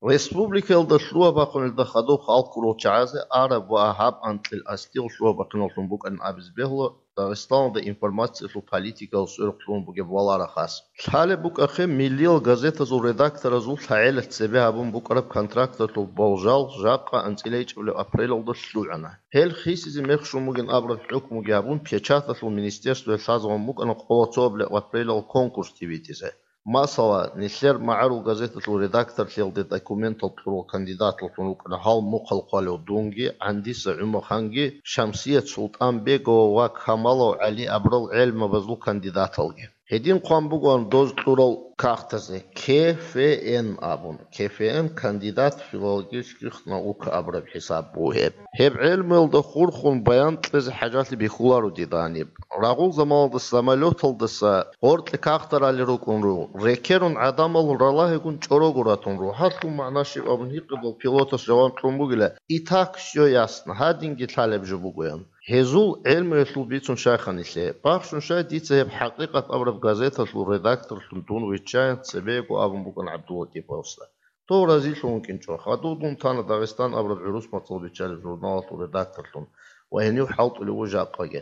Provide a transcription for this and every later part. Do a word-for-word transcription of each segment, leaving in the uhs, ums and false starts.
Республикаялда лъугьа-бахъуналда хадуб халкъ гурел чагӀазе араб ва гьаб анкьил асдигъ лъугьа-бахъиналлъун букӀанин абизе бегьула Дагъистаналда информациялъул политикалъ сверухълъун бугеб валарахъас. Лъалеб букӀахъе, миллиял газетазул редакторазул лъагӀелалъ цебе гьабун букӀараб контракталъул болжал жакъа анцӀила ичӀабилеб апрелалда лъугӀана. Гьел хисизе мехщун бугин абураб хӀукмуги гьабун, печаталъул министерствоялъ лъазабун букӀана къоло цоабилеб апрелалъ конкурс тӀибитӀизе. Масала, нилъер магӀарул газеталъул редакторлъиялде документал кьурал кандидаталлъун рукӀана гьал мухъал хъвалев дунги, ГӀандиса ГӀумаханги, Шамсият Султанбегова ва Камалов ГӀали абурал гӀелмабазул кандидаталги. Гьедин хъван бугоан доз кьурал кагътазе К Ф Н абун. К Ф Н кандидат филологических наук абураб хӀисаб бугеб. Гьеб гӀелмуялда хурхун баян кьезе хӀажалъи бихьуларо дида гьаниб. Рагъул заманалда самолеталдаса гъоркье кагътарали рукӀун ру, рекерун гӀадамал ралагьигун чӀорого ратун ру, гьалъул магӀна щиб абун гьикъидал пилотас жаваб кьун бугила, и так, все ясно, гьадинги лъалеб жо бугоян. Гьезул гӀелмуялъул бицун щайха нилъее. Бахщун щай дица гьеб хӀакъикъат абураб газеталъул редакторлъун дун виччаян цебего абун букӀана ГӀабдуллатӀиповасда. Дов разилъун вукӀинчӀо, хадув дун тана Дагъистан абураб гӀурус мацӀал биччалеб журналалъул редакторлъун ва гьенив хӀалтӀулев вуго жакъаги.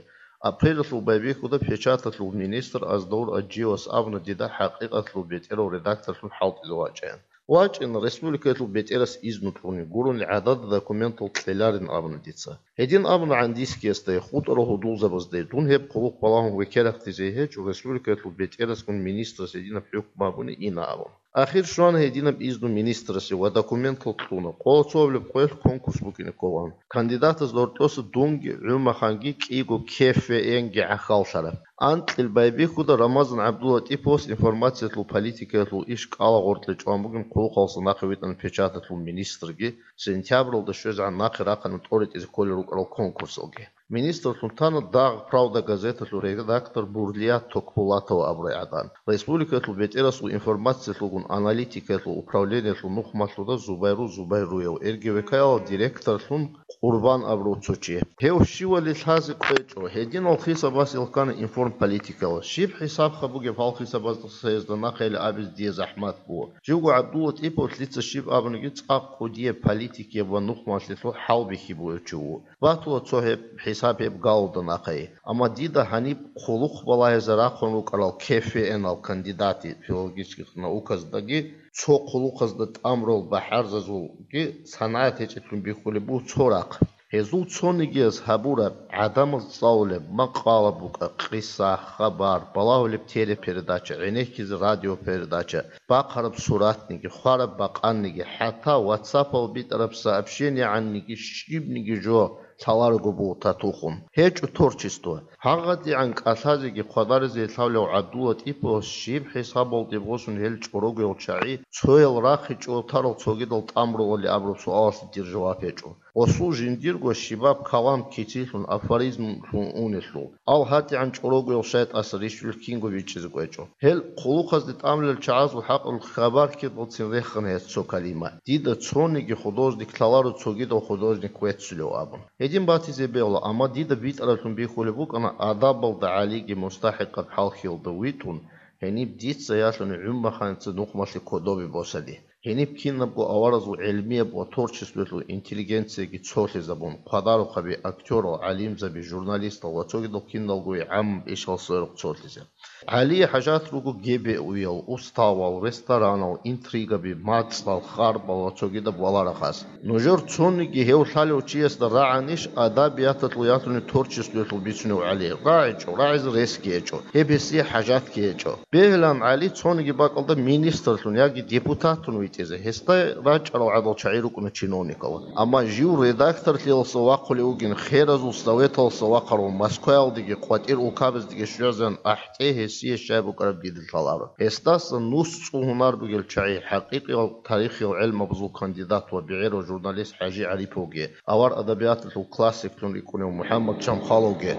Апрелалъул байбихьуда печаталъул министр Аздаур Аджиевас абуна дида хӀакъикъаталъул бетӀерав редакторлъун хӀалтӀизе вачӀаян. ВачӀина, республикаялъул бетӀерас изну кьуни, гурони гӀадада документал кьеларин абуна дица. Гьедин абуна ГӀандискиясдай, хутӀарал гьудулзабаздай, дун гьеб хъулухъ балагьун векерахъдизе гьечӀо, республикаялъул бетӀерасгун министрас гьединаб хӀукму гьабуни ина абун. Ахир щвана гьединаб изну министрасе ва документал кьуна, къоло цоабилеб къоялъ конкурс букӀине кколаан. Кандидатазда гьоркьоса дунги, ГӀумаханги, кӀиго К Ф Н-ги гӀахьаллъараб. Анкьил байбихьуда Рамазан ГӀабдуллатӀиповас информациялъул политикаялъул иш кӀала гъоркье чӀван бугин хъулухъалдаса нахъе витӀана печаталъул министрги, сентябралда щвезегӀан нахъе рахъана тӀоритӀизе кколел рукӀарал конкурсалги. Министрлъун тана дагъ «Правда» газеталъул редактор Бурлият Токбулатова абурай гӀадан. Республикалъул бетӀерасул информациялъулгун аналитикаялъул управлениялъул нухмалъуда Зубайру Зубайруев, РГВК-ял директорлъун Къурбан абурав цо чи. Гьев щивали лъазе кӀвечӀо, гьединал хисабас илккана информполитикала. Щиб хӀисабха бугеб гьал хисабазда нахъе абизе дие захӀмат буго. Живго ГӀабдуллатӀипов лъица щиб абуниги цӀакъ кӀудияб политикияб ва нухмалъилъул хӀалбихьи бугев чи вуго. Батула цо гьеб хӀисаб гьеб галуда нахъе. Амма дида гьаниб хъулухъ балагьизе рахъун рукӀарал К Ф Н-ал кандидати филологических науказдеги, цо хъулухъазда тӀамурал бахӀарзазулги санигӀат гьечӀеблъун бихьулеб буго цо рахъ. Гьезул цонигияз гьабураб, гӀадамаз цӀалулеб, макъала букӀа, къиса, хабар, балагьулеб телепередача, гӀенеккизе радиопередача, бахъараб суратниги, хвараб бакъанниги, хӀатта ватсапал битӀараб сообщениегӀанниги щибниги жо лъаларого буго татухун. ГьечӀо творчество. ГьагъадигӀан кӀалъазеги хъвадаризе лъалев ГӀабдуллатӀиповас щиб хӀисабалде босун гьел чӀорогоял чагӀи цоял рахъе чӀотарал цогидал тӀамуралали абураб суалалъе дир жаваб гьечӀо. Гъосул жиндирго щибаб калам кицилъун, афоризмлъун унелъул. Ал гьатӀигӀан чӀорогоял шайтӀаса рищулел кинго бичӀчӀизе кӀвечӀо. Гьел хъулухъазде тӀамулел чагӀазул хӀакъалъулъ хабар ккедалцин рехана гьес цо калима. Дида цониги художник лъаларо цогидал художник веццулев абун. Гьедин батизе бегьула, амма дида битӀараблъун бихьулеб букӀана адабалда ГӀалиги мустахӀикъаб хӀалхьиялда витӀун, гьениб дица ялъуни ГӀумаханица нухмалъе кодобе босани. Гьениб кинабго аваразул гӀелмияб ва творчествоялъул интеллигенцияги цолъизабун, хъвадарухъаби актерал, гӀалимзаби, журналистал ва цогидал киналгоги гӀаммаб ишал сверухъ цолъизе. ГӀалие хӀажат руго гебеуял, уставал, ресторанал, интригаби, мацӀал, харбал ва цогидаб валарахъас. Нужер цониги гьев лъалев чиясда рагӀанищ адабияталъул ялъуни творчествоялъул бицунев ГӀали? РагӀичӀо, рагӀизе ресги гьечӀо, гьеб гьесие хӀажатги гьечӀо. Бегьилан ГӀали цониги бакӀалда министрлъун яги депутатун витӀизе, гьесда рачӀарал гӀадал чагӀи рукӀуна чиновникал. Амма жив редакторлъиялдаса вахъулев вугин, херазул советалдаса вахъарав, Москваялдеги къватӀир улкабаздаги щвезегӀан ахӀтӀе гьесие щай букӀараб дида лъаларо. Гьесдаса нус цӀул гьунар бугел чагӀи, хӀакъикъиял тарихиял гӀелмабазул кандидат ва бегӀерав журналист ХӀажи ГӀариповги, авар адабияталъул классиклъун рикӀкӀунев МухӀаммад Чамхаловги,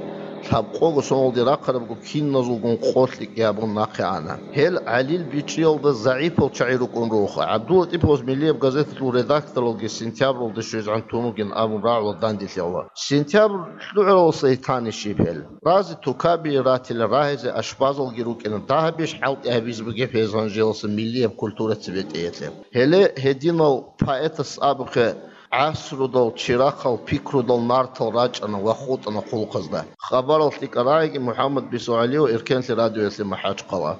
лъабкъого соналде рахъарабго киназулгун къо лъикӀ гьабун нахъе ана. Гьел ГӀалил бичӀчӀиялда загӀипал чагӀи рукӀун руго. ГӀабдуллатӀиповас Миллияб газеталъул редакторалги сентябралда щвезегӀан тун вугин абун рагӀула данделъи гьабула. Сентябрь лъугӀаралдаса гьитани щиб гьел. Разе тукаби ратила, рагьизе ашпазалги рукӀина, дагьабищ хӀалтӀи гьабизе бугеб гьез гьанжелалъа миллияб культура цебетӀеялъе. Гьеле гьединал поэтас абухъе, гӀасрудал чирахъал пикрудал нартал рачӀана ва хутӀана хъулухъазда. Хабарал лъикӀа рагӀиги МухӀаммад БицогӀалиев, Эркенлъи радиоялъе МахӀачхъала.